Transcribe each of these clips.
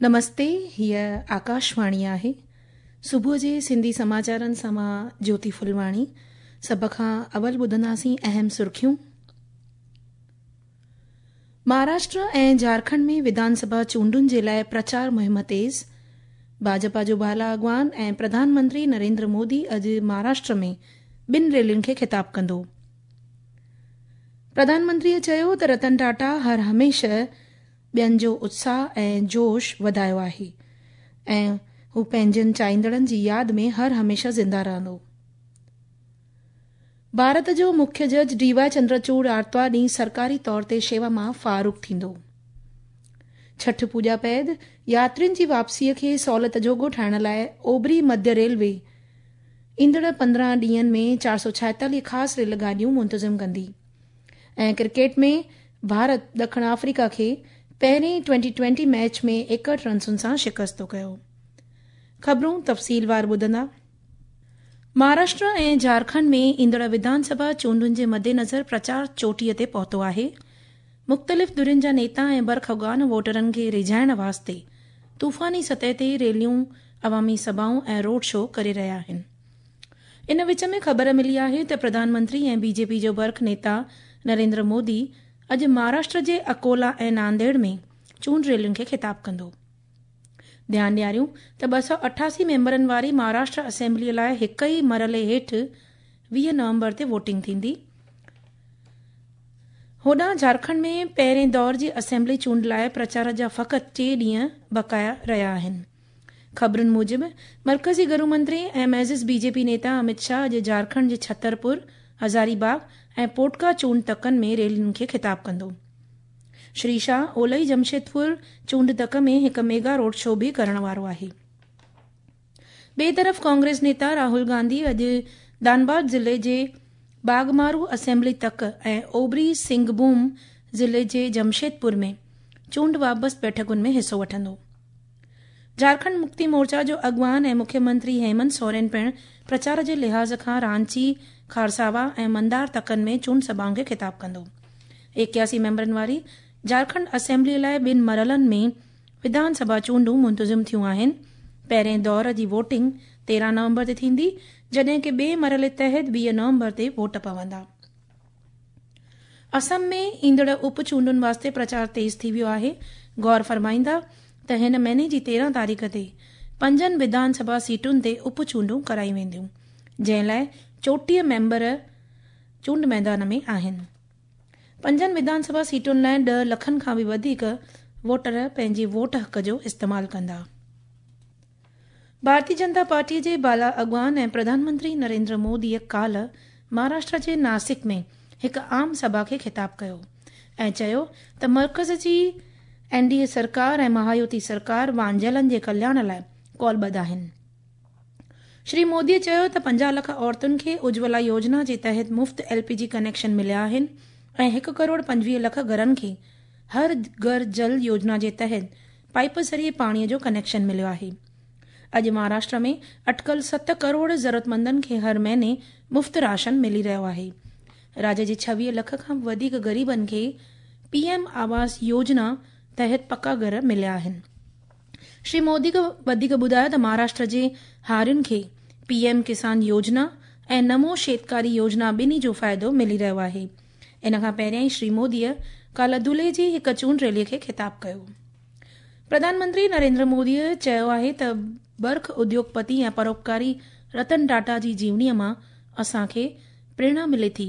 نمستي، هيء آڪاشواڻي آهي. صبح جي سنڌي سماچارن سان مان جيوتي ڦلواڻي. سڀ کان اول ٻڌنداسين اهم سرخيون. مهاراشٽر ۽ جهارکنڊ ۾ وڌان سڀا چونڊن جي لاء پرچار مهم تيز. ڀاجپا جو بالا اڳواڻ ۽ پرڌان منتري نريندر مودي اڄ مهاراشٽر ۾ ٻن ريلين کي خطاب ڪندو. پرڌان منتريء چيو ته رتن ٽاٽا هر هميشه ٻين جو اتساهه ۽ جوش وڌايو آهي ۽ هو پنهنجن چاهيندڙن جي ياد ۾ هر هميشه زنده رهندو. ڀارت جو مکيه جج ڊي واء چندرچوڙ آرتوار ڏينهن سرڪاري طور تي شيوا مان فارغ ٿيندو. ڇٺ پوڄا بعد ياترين جي واپسيء کي سهولت جوڳو ٺاهڻ لاء اوڀري مڌيه ريلوي ايندڙ 15 ڏينهن ۾ 446 خاص ريل گاڏيون منتظم ڪندي ۽ ڪرڪيٽ ۾ ڀارت ڏکڻ آفريڪا کي پهرين ٽوئنٽي ٽوئنٽي ميچ ۾ 61 رنسن سان شڪست ڪيو. خبرون تفصيلوار ٻڌندا. مهاراشٽر ۽ جهارکنڊ ۾ ايندڙ وڌان سڀا چونڊن جي مدنظر پرچار چوٽيء تي پهتو آهي. مختلف ڌرين جا نيتا ۽ برک اڳواڻ ووٽرن کي ريجهائڻ واسطي طوفاني سطح تي ريليون، عوامي سڀائون ۽ روڊ شو ڪري رهيا آهن. ان وچ ۾ خبر ملي آهي ته پرڌان منتري ۽ بي جي پي جو برک نيتا نريندر مودي اڄ مهاراشٽر جي اڪولا ۽ نانديڙ ۾ چونڊ ريلين کي خطاب ڪندو. ڌيان ڏياريون ته 288 ميمبرن واري مهاراشٽر اسيمبليء لاء هڪ ئي مرحلي هيٺ 20 نومبر تي ووٽنگ ٿيندي. هوڏانهن جهارکنڊ ۾ پهرين دور جي اسيمبلي چونڊ لاء پرچار جا فقط ٽي ڏينهن بقايا رهيا آهن. خبرن موجب، مرڪزي گهرو منتري ۽ معزز بي جي پي نيتا امت شاهه اڄ جهارکنڊ جي ڇترپور، هزاري باغ ۽ پوٽڪا چونڊ تڪن ۾ ريلين کي خطاب ڪندو. شري شاهه اولهي جمشيدپور چونڊ تڪ ۾ هڪ ميگا روڊ شو به ڪرڻ وارو آهي. ٻئي طرف ڪانگريس نيتا راهول گانڌي اڄ ڌانباد ضلعي جي باگمارو اسيمبلي تڪ ۽ اوڀري سنگهڀوم ضلعي جي جمشيدپور ۾ چونڊ وابست بيٺڪن ۾ حصو وٺندو. جهارکنڊ مڪتي مورچا جو اڳواڻ ۽ مکيه منتري هيمنت سورين پڻ پرچار جي لحاظ کان رانچي، کارساوا ۽ مندار تڪن ۾ چونڊ سڀائن کي خطاب ڪندو. 81 ميمبرن واري جهارکنڊ اسيمبليء لاء ٻن مرحلن ۾ وڌان سڀا چونڊون منتظم ٿيون آهن. پهرئين دور جي ووٽنگ 13 نومبر تي ٿيندي، جڏهن ڪه ٻئي مرحلي تحت 20 نومبر تي ووٽ پوندا. اسم ۾ ايندڙ اپ چونڊن واسطي پرچار تيز ٿي ويو آهي. غور فرمائيندا ته هن مهيني جي 13 تاريخ تي پنجن وڌان سڀا سيٽن تي اپ چونڊون ڪرايون وينديون، جنهن لاء 34 ميمبر چونڊ ميدان ۾ آهن. پنجن وڌان سڀا سيٽن لاء 10 لکن کان به وڌيڪ ووٽر پنهنجي ووٽ حق جو استعمال ڪندا. ڀارتي جنتا پارٽيء جي بالا اڳواڻ ۽ پرڌان منتري نريندر موديء ڪالهه مهاراشٽر جي ناسڪ ۾ هڪ عام سڀا کي خطاب ڪيو ۽ چيو ته مرڪز جي اين ڊي اي سرڪار ۽ مهايوتي سرڪار وانجهيلن جي ڪلياڻ لاء قولبڌ آهن. شري موديء چيو ته 50 لک عورتن کي اجولا يوجنا جي تحت مفت ايل پي جي ڪنيڪشن مليا آهن ۽ هڪ ڪروڙ 25 لک گهرن کي هر گهر جل يوجنا جي تحت پائيپ ذريعي پاڻيء جو ڪنيڪشن مليو آهي. اڄ مهاراشٽر ۾ اٽڪل 7 ڪروڙ ضرورتمندن کي هر مهيني مفت راشن ملي رهيو آهي. راجيه جي 26 لک کان به وڌيڪ غريبن کي پي ايم آواس يوجنا تحت پڪا گهر مليا آهن. شري مودي وڌيڪ ٻڌايو ته مهاراشٽر جي هارين کي پي ايم ڪسان يوجنا ۽ نمو شيتڪاري يوجنا ٻنهي جو فائدو ملي رهيو آهي. ان کان پهريائين شري موديء ڪالهه ڌلي جي هڪ چونڊ ريلي کي خطاب ڪيو. پرڌان منتري نريندر موديء چيو آهي ته برک اديوگپتي ۽ پروپڪاري رتن ٽاٽا جي جيونيء مان اسان کي پريرڻا ملي ٿي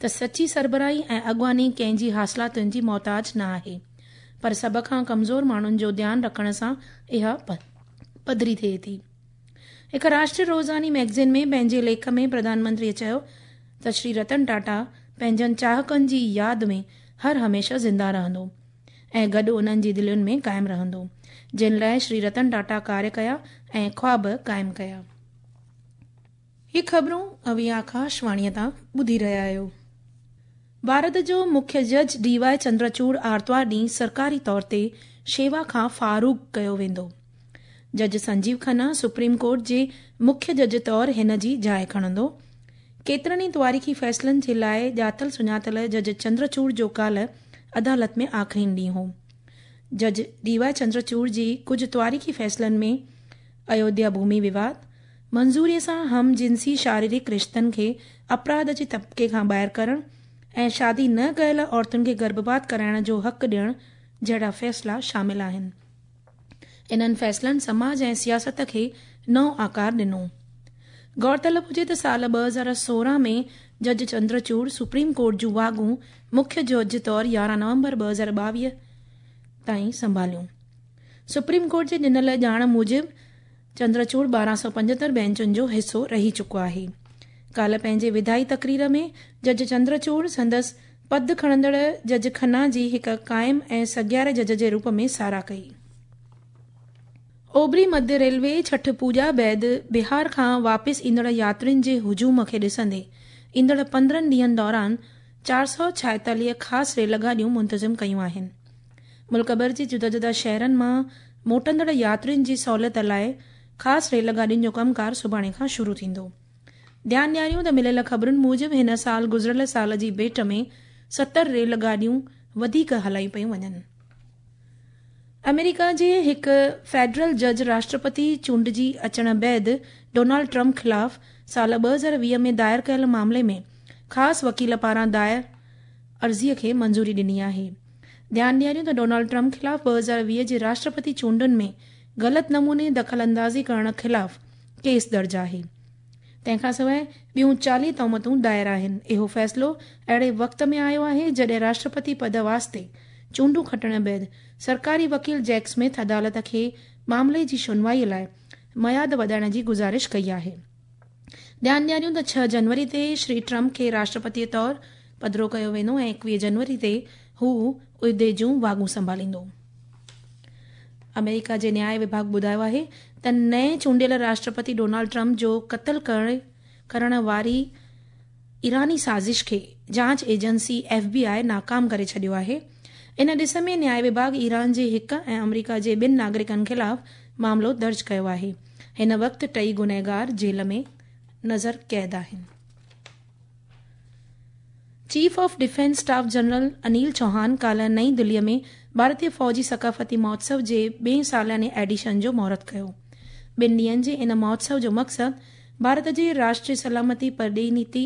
ته سچي سربراهي ۽ اڳواڻي ڪنهن جي حاصلاتن جي محتاج نه آهي پر سڀ کان ڪمزور ماڻهن جو ڌيان رکڻ سان اها پڌري ٿئي ٿي. هڪ راشٽري روزاني مئگزين ۾ پنهنجي ليک ۾ پرڌان منتريء چيو ته شري رتن ٽاٽا پنهنجن چاهڪن جي ياد ۾ هر هميشه زنده رهندو ۽ گڏ انهن جي دلين ۾ قائم رهندو، جن لاء شري رتن ٽاٽا ڪاريه ڪيا ۽ خواب قائم ڪيا. هي خبرون اوهين آڪاشواڻيء تان ٻڌي رهيا آهيو. ڀارت جو مکيه جج ڊي واء چندرچوڙ آرتوار ڏينهن سرڪاري طور تي شيوا کان فارغ ڪيو ويندو. جج سنجيو کنا سپريم ڪورٽ جي مکيه جج طور هن جي جاء کڻندو. ڪيترن ئي تواريخي فيصلن جي لاء ڄاتل سڃاتل جج چندرچوڙ جو ڪالهه عدالت ۾ آخرين ڏينهن هو. جج ڊي واء چندرچوڙ جي ڪجهه تواريخي فيصلن ۾ ايوڌيا ڀومي وواد، منظوريء سان هم جنسي شاريرڪ رشتن کي اپراڌ جي طبقي کان ٻاهر ڪرڻ ۽ شادي نه ڪيل عورتن کي گرڀپات ڪرائڻ جو حق ڏيڻ جهڙا فيصلا شامل آهن. انهن فيصلن سماج ۽ سياست کي نئون آڪار ڏنو. غور طلب هجي ته سال 2016 ۾ جج چندرچوڙ سپريم ڪورٽ جون واڳون مکيه جج طور 11 نومبر 2022 تائين سنڀاليون. سپريم ڪورٽ جي ڏنل ڄاڻ موجب چندرچوڙ 1275 بينچن جو حصو رهي چڪو آهي. ڪالهه پنهنجي وداعي تقرير ۾ جج چندرچوڙ سندس پد کڻندڙ جج کنا جي هڪ قائم ۽ سگهاري جج جي روپ ۾ ساراهه ڪئي. اوڀري مڌيه ريلوي ڇٺ پوڄا بعد بهار کان واپس ايندڙ ياترين جي هجوم کي ڏسندي ايندڙ 15 ڏينهن دوران 446 خاص ريل گاڏيون منتظم ڪيون آهن. ملڪ ڀر جي جدا جدا شهرن مان موٽندڙ ياترين جي سهولت لاء خاص ريل گاڏين جو ڪم ڪار سڀاڻي کان شروع ٿيندو. ڌيان ڏياريون ته مليل خبرن موجب هن سال گذريل سال جي ڀيٽ ۾ 70 ريل گاڏيون وڌيڪ هلايون پيون وڃن. آمريڪا جي هڪ فيڊرل جج راشٽرپتي چونڊجي اچڻ بعد ڊونلڊ ٽرمپ خلاف سال 2020 ۾ دائر ڪيل معاملي ۾ خاص وڪيل پاران دائر عرضي کي منظوري ڏني آهي. ڌيان ڏياريون ته ڊونلڊ ٽرمپ خلاف 2020 جي راشٽرپتي چونڊن ۾ غلط نموني دخل اندازي ڪرڻ خلاف ڪيس درج آهي. تنهن کان سواء ٻيون 40 تهمتون دائر آهن. اهو فيصلو اهڙي وقت ۾ آيو آهي جڏهن راشٽرپتي پد واسطي چونڊون کٽڻ بعد سرڪاري وڪيل جيڪ سمٿ عدالت کي معاملي جي شنوائي لاء ميعاد وڌائڻ جي گذارش ڪئي آهي. ڌيان ڏياريون ته 6 جنوري تي شري ٽرمپ کي راشٽرپتي طور پڌرو ڪيو ويندو ۽ 21 جنوري تي هو عهدي جون واڳون سنڀاليندو. آمريڪا جي نياء وڀاڳ ٻڌايو آهي ته نئين چونڊيل راشٽرپتي ڊونلڊ ٽرمپ جو قتل ڪرڻ واري ايراني سازش کي جاچ ايجنسي ايف بي آء ناڪام ڪري ڇڏيو آهي. ان ڏس ۾ نياء وڀاڳ ايران جي هڪ ۽ آمريڪا جي ٻن ناگرڪن خلاف معاملو درج ڪيو آهي. هن وقت ٽئي گنهگار جيل ۾ نظر قيد آهن. Chief of defence staff general Anil Chauhan ڪالهه نئين دلي ۾ ڀارتي فوجي ثقافتي مهوتسو جي ٻئين سالياني ايڊيشن جو مهورت ڪيو. ٻن ڏينهن جي ان مهوتسو جو مقصد ڀارت جي راشٽري سلامتي، پرڏيهي نيتي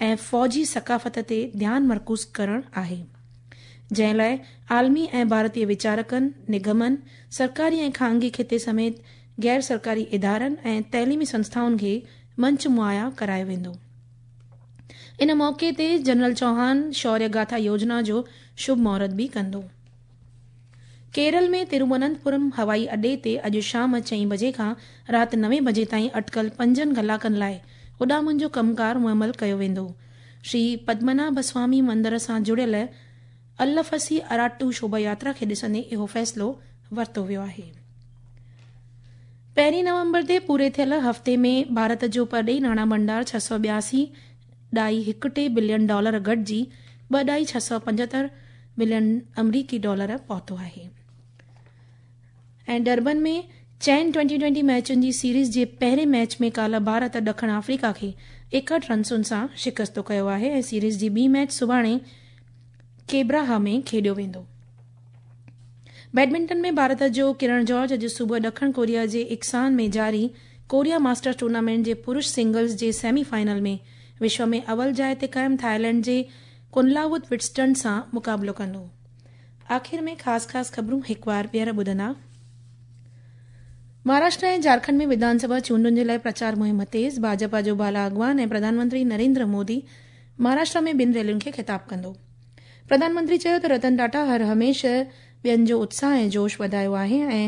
۽ فوجي ثقافت تي ڌيان مرڪوز ڪرڻ آهي، جنهن لاء عالمي ۽ ڀارتي ويچارڪن، نگمن، سرڪاري ۽ خانگي کيتي سميت غير سرڪاري ادارن ۽ تعليمي سنسٿائن کي منچ مهيا ڪرايو ويندو. ان موقعي تي جنرل چوهان شوريه گاٿا يوجنا جو شڀ مهورت به ڪندو. ڪيرل ۾ ترووننتپورم هوائي اڏي تي اڄ شام 4 بجي کان رات 9 بجي تائين اٽڪل 5 ڪلاڪن لاء اڏامن جو ڪم ڪار معمل ڪيو ويندو. شري پدمناڀ سوامي مندر سان جڙيل الفسي اراٽو شوڀا ياترا کي ڏسندي اهو فيصلو ورتو ويو آهي. 1 نومبر تي پوري ٿيل هفتي ۾ ڀارت جو پرڏيهي ناڻا ڀنڊار 682.13 بلين ڊالر گهٽجي 2.675 بلين آمريڪي ڊالر پهتو آهي. ۽ ڊربن ۾ چئن 20-20 ميچن جي سيريز جي پهرين ميچ ۾ ڪالهه ڀارت ڏکڻ آفريڪا کي 61 رنسن سان شڪست ڪيو آهي ۽ سيريز جي ٻي ميچ سڀاڻي ڪيبراها ۾ کيڏيو ويندو. بيڊمنٽن ۾ ڀارت جو ڪرڻ جارج اڄ صبح ڏکڻ ڪوريا جي اڪسان ۾ جاري ڪوريا ماسٽرز ٽورنامينٽ جي پرش سنگلز جي سيمي فائنل ۾ وشو ۾ اول جاء تي قائم ٿائيلينڊ جي ڪنلاوت وٽسٽن سان مقابلو ڪندو. آخر ۾ خاص خاص خبرون هڪ وار ٻيهر ٻڌندا. مهاراشٽر ۽ جهارکنڊ ۾ وڌان سڀا چونڊن جي لاء پرچار مهم تيز، ڀاجپا جو بالا اڳواڻ ۽ پرڌان منتري نريندر مودي مهاراشٽر ۾ ٻن ريلين کي خطاب ڪندو. پرڌان منتري چيو ته رتن ٽاٽا هر هميشه ٻين جو اتساهه ۽ جوش وڌايو آهي ۽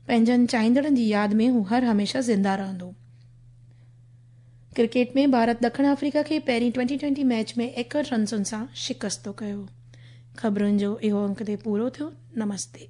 پنهنجن چاهيندڙن جي ياد ۾ هو هر هميشه زنده رهندو. ڪرڪيٽ ۾ ڀارت ڏکڻ آفريڪا کي پهرين 20-20 ميچ ۾ 61 رنسن سان شڪست ڪيو. خبرن جو اهو انڪ تي پورو ٿيو. نمستي.